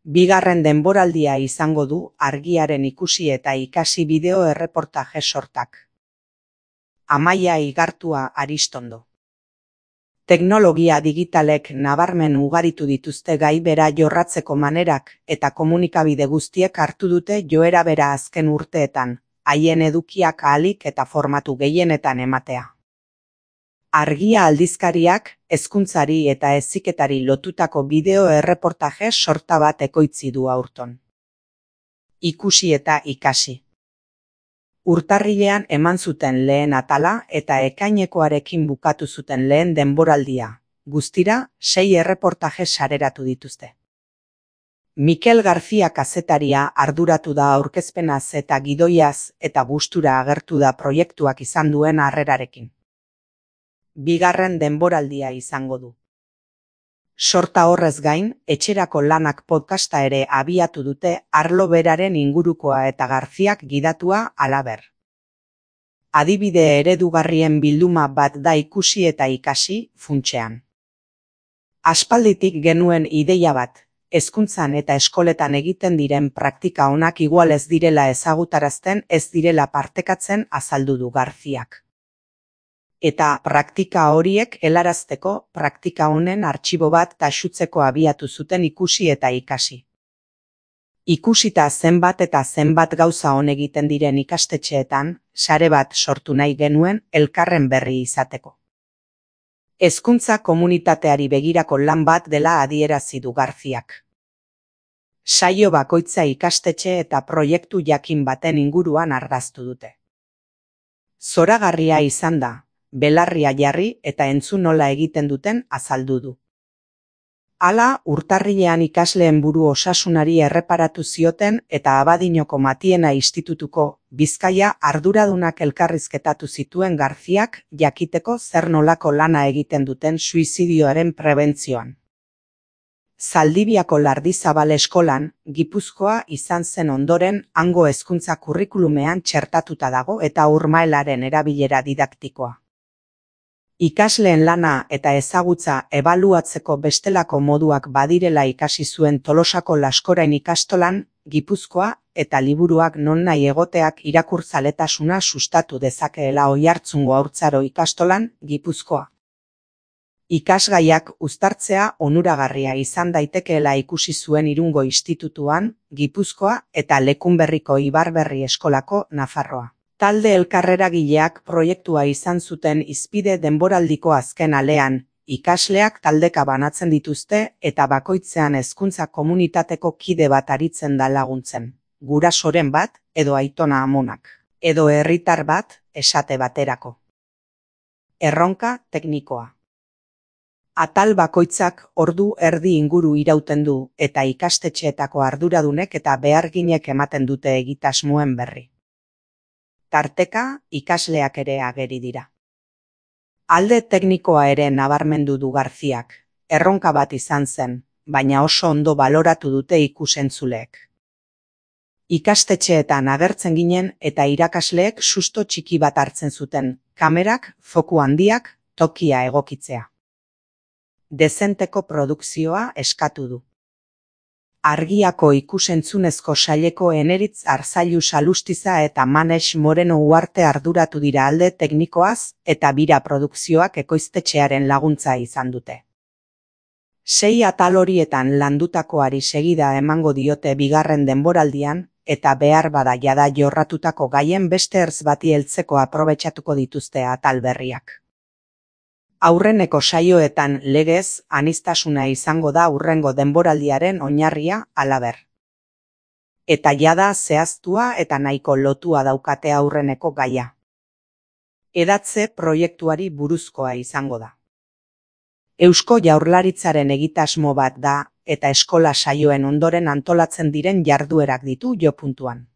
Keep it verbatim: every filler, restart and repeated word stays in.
Bigarren denboraldia izango du argiaren ikusi eta ikasi bideo erreportaje sortak. Amaia Igartua Aristondo. Teknologia digitalek nabarmen ugaritu dituzte gai bera jorratzeko manerak eta komunikabide guztiek hartu dute joera bera azken urteetan, haien edukiak ahalik eta formatu gehienetan ematea. Argia aldizkariak, hezkuntzari eta heziketari lotutako bideo erreportaje sorta bat ekoitzi du aurton. Ikusi eta ikasi. Urtarrilean eman zuten lehen atala eta ekainekoarekin bukatu zuten lehen denboraldia. Guztira, sei erreportaje sareratu dituzte. Mikel García kazetaria arduratu da aurkezpenaz eta gidoiaz eta gustura agertu da proiektuak izan duen harrerarekin. Bigarren denboraldia izango du. Sorta horrez gain, etxerako lanak podcasta ere abiatu dute arlo beraren ingurukoa eta Garziak gidatua halaber. Adibide eredugarrien bilduma bat da ikusi eta ikasi funtsean. Aspalditik genuen ideia bat, hezkuntzan eta eskoletan egiten diren praktika onak igual ez direla ezagutarazten ez direla partekatzen azaldu du Garziak. Eta praktika horiek helarazteko praktika honen artxibo bat taxutzeko abiatu zuten ikusi eta ikasi. Ikusita zenbat eta zenbat gauza on egiten diren ikastetxeetan, sare bat sortu nahi genuen elkarren berri izateko. Hezkuntza komunitateari begirako lan bat dela adierazi du Garziak. Saio bakoitza ikastetxe eta proiektu jakin baten inguruan argaztu dute. Zoragarria izan da, belarria jarri eta entzun nola egiten duten azaldu du. Hala, urtarrilean ikasleen buru osasunari erreparatu zioten eta Abadinoko Matiena Institutuko Bizkaia arduradunak elkarrizketatu zituen Garziak jakiteko zer nolako lana egiten duten suizidioaren prebentzioan. Zaldibiako Lardizabal eskolan, Gipuzkoa izan zen ondoren hango hezkuntza kurrikulumean txertatuta dago eta urmaelaren erabilera didaktikoa. Ikasleen lana eta ezagutza ebaluatzeko bestelako moduak badirela ikasi zuen Tolosako Laskorain ikastolan, Gipuzkoa eta liburuak non nahi egoteak irakurtzaletasuna sustatu dezakeela Oiartzungo Haurtzaro ikastolan, Gipuzkoa. Ikasgaiak uztartzea onuragarria izan daitekeela ikusi zuen Irungo Institutuan, Gipuzkoa eta Lekunberriko Ibarberri eskolako Nafarroa. Talde elkarreragileak proiektua izan zuten hizpide denboraldiko azken alean, ikasleak taldeka banatzen dituzte eta bakoitzean hezkuntza komunitateko kide bat aritzen da laguntzen, gurasoren bat edo aitona amonak, edo herritar bat esate baterako. Erronka teknikoa. Atal bakoitzak ordu erdi inguru irauten du eta ikastetxeetako arduradunek eta beharginek ematen dute egitasmoen berri. Tarteka, ikasleak ere ageri dira. Alde teknikoa ere nabarmendu du Garziak, erronka bat izan zen, baina oso ondo baloratu dute ikusentzuleek. Ikastetxeetan agertzen ginen eta irakasleek susto txiki bat hartzen zuten, kamerak, foku handiak, tokia egokitzea. Dezenteko produkzioa eskatu du. Argiako ikusentzunezko saileko Eneritz Arzailu Salustiza eta Manex Moreno Uarte arduratu dira alde teknikoaz eta bira produkzioak ekoiztetxearen laguntza izan dute. Sei atal horietan landutakoari segida emango diote bigarren denboraldian eta behar bada jada jorratutako gaien beste ertz bati heltzeko aprobetxatuko dituzte atal berriak. Aurreneko saioetan legez aniztasuna izango da hurrengo denboraldiaren oinarria halaber. Eta jada zehaztua eta nahiko lotua daukate aurreneko gaia. Edatze proiektuari buruzkoa izango da. Eusko Jaurlaritzaren egitasmo bat da eta eskola saioen ondoren antolatzen diren jarduerak ditu jo puntuan.